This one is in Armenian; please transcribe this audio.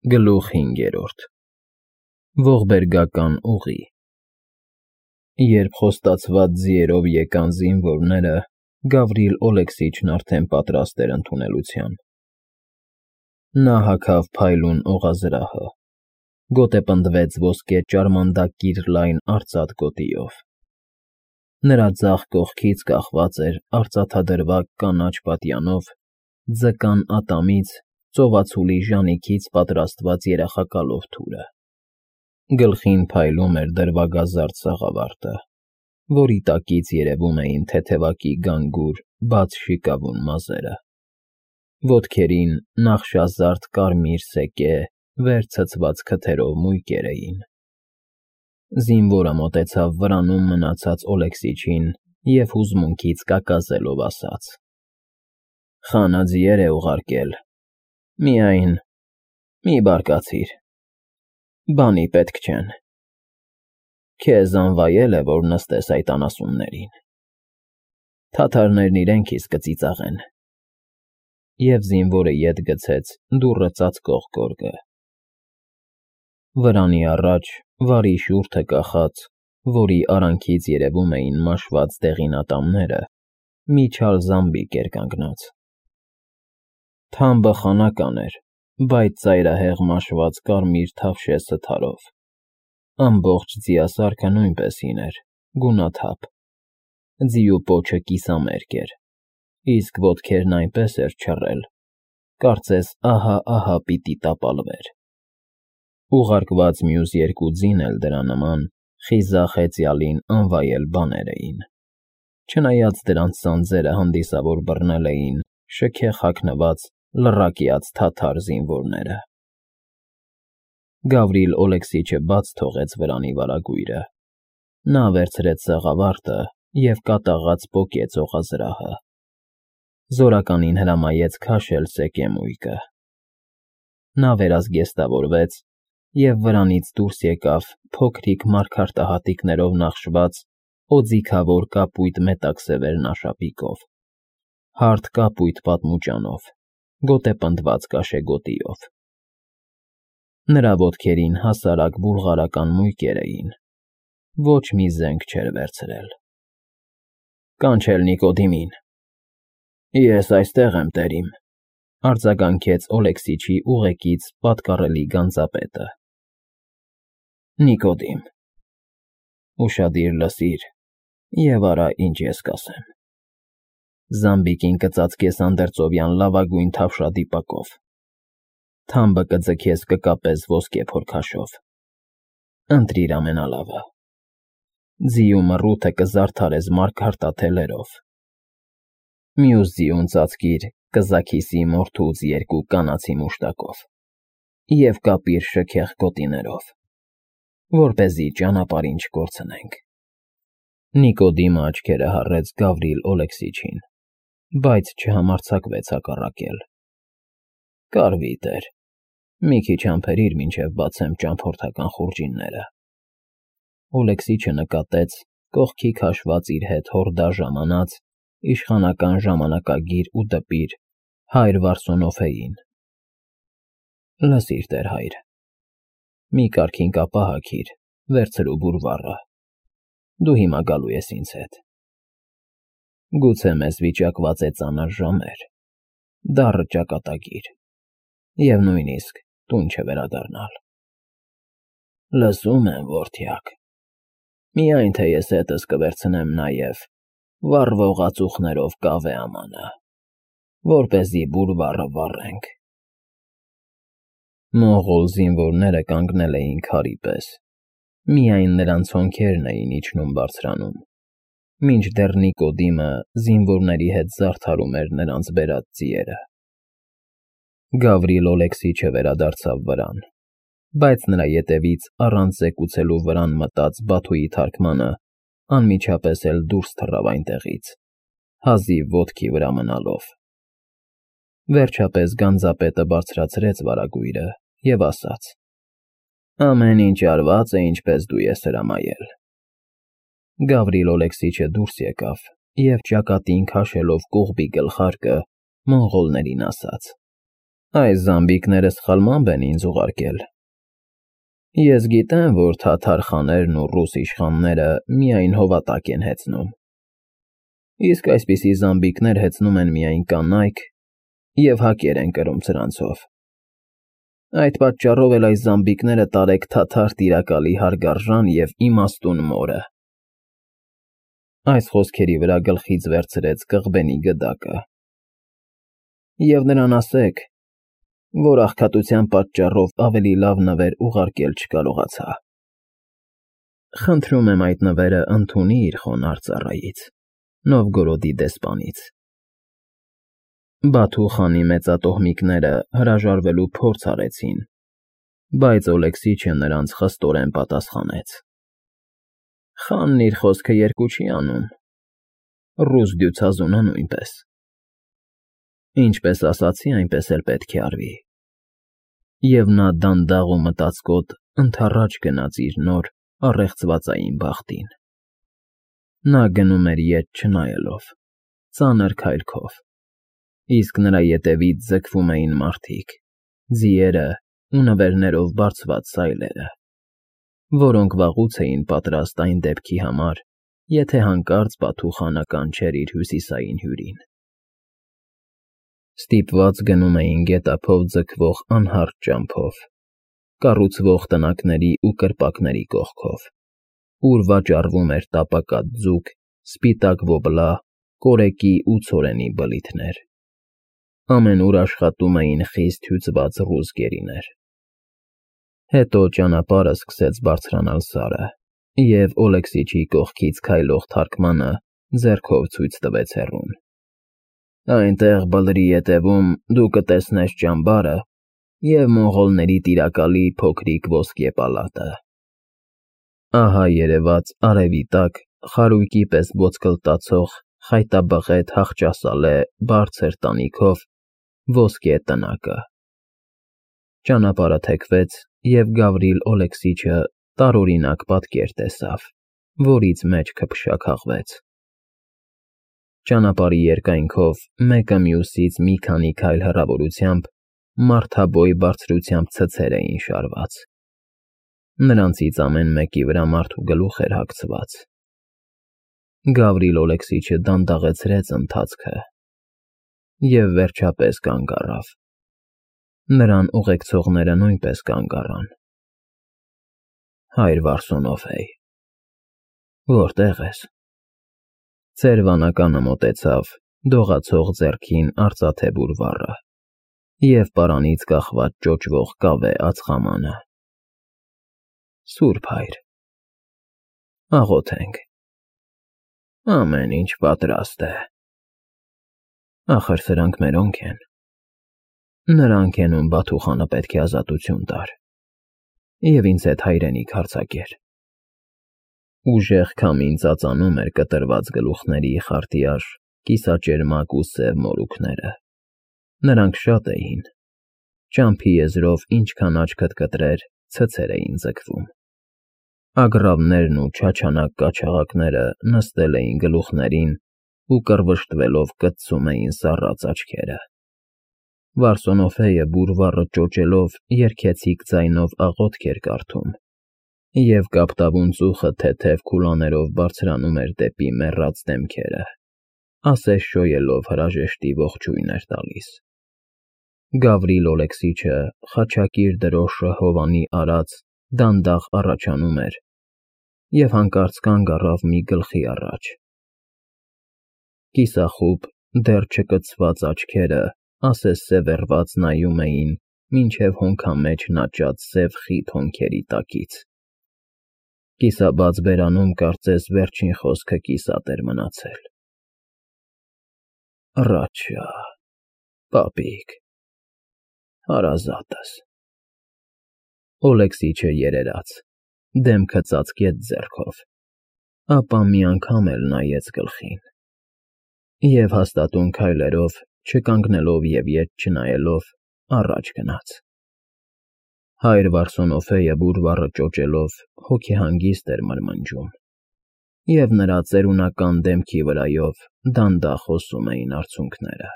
Գլուխ 5. Ողբերգական ուղի Երբ խոստացված ձիերով եկան զինվորները, Գավրիլ Օլեքսիչն արդեն պատրաստ էր ընդունելության։ Նա հագավ փայլուն օղազրահը, գոտեպնդվեց ոսկե ճարմանդակիր լայն արծաթ գոտիով։ Նրա ձախ կողքից կախված էր արծաթադրվակ կանաչ պատյանով ձկան ատամից ծովածուլի ժանիքից պատրաստված երախակալով թուրը։ Գլխին փայլում էր դրվագազարդ սաղավարտը, որի տակից երևում էին թեթևակի գանգուր, բաց շիկավուն մազերը։ Ոտքերին նախշազարդ կարմիր սեկե, վեր ցցված քթերով մույկեր էին։ Զինվորը մոտեցավ վրանում մնացած Օլեքսիչին և հուզմունքից կակազելով ասաց. «Խանաձիեր է ուղարկել, միայն մի բարկացիր, բանի պետք չեն։ Քեզ անվայել է, որ նստես այդ անասուններին, թաթարներն իրենք իսկ կծիծաղեն»։ Եվ զինվորը ետ գցեց դուռը ծածկող գորգը։ Վրանի առաջ, վարի շուրթը կախած, որի արանքից երևում էին մաշված դեղին ատամները, մի չար զամբիկ էր կանգնած։ Թամբը խանական էր, բայց ծայրահեղ մաշված կարմիր թավշե սթարով։ Ամբողջ ձիասարքը նույնպես հին էր, գունաթափ։ Ձիու պոչը կիսամերկ էր, իսկ ոտքերն այնպես էր չռել, կարծես ահա պիտի տապալվեր։ Ուղարկված մյուս երկու ձին էլ դրա նման խիզախ հեծյալին անվայել բաներ էին, չնայած դրանց սանձերը հանդիսավոր բռնել էին շքեղ հագնված լռակյաց թաթար զինվորները։ Գավրիլ Օլեքսիչը բաց թողեց վրանի վարագույրը։ Նա վերցրեց սաղավարտը և կատաղած պոկեց օղազրահը։ Զորականին հրամայեց քաշել սեկեմույկը։ Նա վերազգեստավորվեց և վրանից դուրս եկավ փոքրիկ մարգարտահատիկներով նախշված օձիքավոր կապույտ մետաքսևեր նաշապիկով, հարթ կապույտ պատմուճանով, գոտեպնդված կաշեգոտիով։ Նրա ոտքերին հասարակ բուլղարական մույկեր էին, ոչ մի զենք չէր վերցրել։ «Կանչել Նիկոդիմին»։ «Ես այստեղ եմ, տերիմ», արձագանքեց Օլեքսիչի ուղեկից պատկառելի գանձապետը։ «Նիկոդիմ, ուշադիր լսիր և արա, ինչ ես կասեմ։ Զամբիկին կծածկես անդերձովյան լավագույն թավշադիպակով, թամբը կձգես կկապես ոսկե փորքաշով։ Ընտրիր ամենալավը։ Ձիու մռութը կզարդարես մարգարտաթելերով։ Մյուս ձիուն ծածկիր կզաքիսի մորթուց 2 կանացի մուշտակով և կապիր շքեղ գոտիներով, որպեսզի ճանապարհին չկորցնենք»։ Նիկոդիմը աչքերը հառեց Գավրիլ Օլեքսիչին, բայց չհամարձակվեց հակառակել։ «Կարվի, տեր, մի քիչ համբերիր, մինչև բացեմ ճամփորդական խուրջինները»։ Օլեքսիչը նկատեց կողքի քաշված իր հետ հորդա ժամանած իշխանական ժամանակագիր ու դպիր հայր Վարսոնոֆեին։ «Լսիր, տեր հայր, մի կարգին կապա հագիր, վերցրու բուրվառը, դու հիմա գալու ես ինձ հետ։ Գուցե մեզ վիճակված է ծանր ժամեր, դառը ճակատագիր և նույնիսկ տուն չվերադառնալ։ Լսում եմ, որդյակ, միայն թե ես հետս կվերցնեմ նաև վառվող ածուխներով կավե ամանը, որպեսզի բուրվառը վառենք»։ Մոնղոլ զինվորները կանգնել էին քարի պես, միայն նրանց հոնքերն էին իջնում֊բարձրանում, մինչդեռ Նիկոդիմը զինվորների հետ զարդարում էր նրանց բերած ձիերը։ Գավրիլ Օլեքսիչը վերադարձավ վրան, բայց նրա ետևից առանց զեկուցելու վրան մտած Բաթուի թարգմանը անմիջապես էլ դուրս թռավ այնտեղից, հազիվ ոտքի վրա մնալով։ Վերջապես գանձապետը բարձրացրեց վարագույրը և ասաց. «Ամեն ինչ արված է, ինչպես դու ես հրամայել»։ Գավրիլ Օլեքսիչը դուրս եկավ և ճակատին քաշելով կողբի գլխարկը, մոնղոլներին ասաց. Այս զամբիկները սխալմամբ են ինձ ուղարկել։ Ես գիտեմ, որ թաթար խաներն ու ռուս իշխանները միայն հովատակ են հեծնում։ Իսկ այսպիսի զամբիկներ հեծնում են միայն կանայք և հակեր են կրում սրանցով։ Այդ պատճառով էլ այս զամբիկները տարեք թաթար տիրակալի հարգարժան և իմաստուն մորը։ Այս խոսքերի վրա գլխից վերցրեց կղբենի գդակը։ Եվ նրան ասեք, որ աղքատության պատճառով ավելի լավ նվեր ուղարկել չկարողացա։ Խնդրում եմ այդ նվերը ընդունի իր խոնարհ ծառայից, Նովգորոդի դեսպանից։ Բաթու խանի մեծատոհմիկները հրաժարվելու փորձ արեցին, բայց Օլեքսիչը նրանց խստորեն պատասխանեց. Խանն իր խոսքը երկու չի անում, ռուս դյուցազունը նույնպես։ Ինչպես ասացի, այնպես էլ պետք է արվի։ Եվ նա դանդաղ ու մտածկոտ ընդառաջ գնաց իր նոր առեղծվածային բախտին։ Նա գնում էր ետ չնայելով, ծանր քայլքով, իսկ նրա ետևից ձգվում էին մարդիկ, ձիերը ու նվերներով բարձված սայլերը, որոնք վաղուց էին պատրաստ այն դեպքի համար, եթե հանկարծ Բաթու խանը կանչեր իր հյուսիսային հյուրին։ Ստիպված գնում էին գետափով ձգվող անհարթ ճամփով, կառուցվող տնակների ու կրպակների կողքով, ուր վաճառվում էր տապակած ձուկ, սպիտակ ոբլա, կորեկի ու ցորենի բլիթներ։ Ամենուր աշխատում էին խիստ հյուծված ռուս գերիներ։ Հետո ճանապարհը սկսեց բարձրանալ սարը, և Օլեքսիչի կողքից քայլող թարգմանը ձեռքով ցույց տվեց հեռուն։ Այնտեղ բլրի ետևում դու կտեսնես ճամբարը և մոնղոլների տիրակալի փոքրիկ ոսկե պալատը։ Ահա երևաց արևի տակ խարույկի պես ոսկլտացող խայտաբղետ հախճասալե բարձր տանիքով ոսկե տնակը։ Ճանապարհը թեքվեց, և Գավրիլ Օլեքսիչը տարօրինակ պատկեր տեսավ, որից մեջքը փշաքաղվեց։ Ճանապարհի երկայնքով մեկը մյուսից մի քանի քայլ հեռավորությամբ մարդաբոյ բարձրությամբ ցցեր էին շարված։ Նրանցից ամեն մեկի վրա մարդու գլուխ էր հագցված։ Գավրիլ Օլեքսիչը դանդաղեցրեց ընթացքը և վերջապես կանգ առավ։ Նրան ուղեկցողները նույնպես կանգ առան։ Հայր Վարսունոֆեյ, որտե՞ղ ես։ Ծեր վանականը մոտեցավ, դողացող ձեռքին արծաթե բուրվառը և պարանից կախված ճոճվող կավե ածխամանը։ Սուրբ Հայր, աղոթենք։ Ամեն ինչ պատրաստ է։ Ախր սրանք մերոնք են։ Նրանք են, ում Բաթու խանը պետք է ազատություն տար և ինձ հետ հայրենիք հարձակեր։ Ուժեղ քամին ծածանում էր կտրված գլուխների խարտիաշ, կիսաճերմակ ու սև մորուքները։ Նրանք շատ էին։ Ճամփի եզրով ինչքան աչքդ կտրեր, ցցեր էին ձգվում։ Ագռավներն ու չաչանակ կաչաղակները նստել էին գլուխներին ու կռվշտվելով կծում էին սառած աչքերը։ Վարսունոֆեյը բուրվառը ճոճելով երգեցիկ ձայնով աղոթք էր կարդում, և կապտավուն ծուխը թեթև քուլաներով բարձրանում էր դեպի մեռած դեմքերը, ասես շոյելով հրաժեշտի ողջույն էր տալիս։ Գավրիլ Օլեքսիչը խաչակիր դրոշը հովանի արած դանդաղ առաջանում էր և հանկարծ կանգ առավ մի գլխի առաջ։ Կիսախուբ, դեռ չկցված աչքերը ասես սևեռված նայում էին մինչև հոնքամեջ նաճած սև խիտ հոնքերի տակից։ Կիսաբաց բերանում կարծես վերջին խոսքը կիսատ էր մնացել։ Ռաչա, պապիկ, հարազատս։ Օլեքսիչը երերաց, դեմքը ծածկեց ձեռքով, ապա մի անգամ էլ նայեց գլխին և հաստատուն քայլերով, չկանգնելով և ետ չնայելով, առաջ գնաց։ Հայր Վարսունոֆեյը բուրվառը ճոճելով հոգեհանգիստ էր մրմնջում, և նրա ծերունական դեմքի վրայով դանդաղ հոսում էին արցունքները։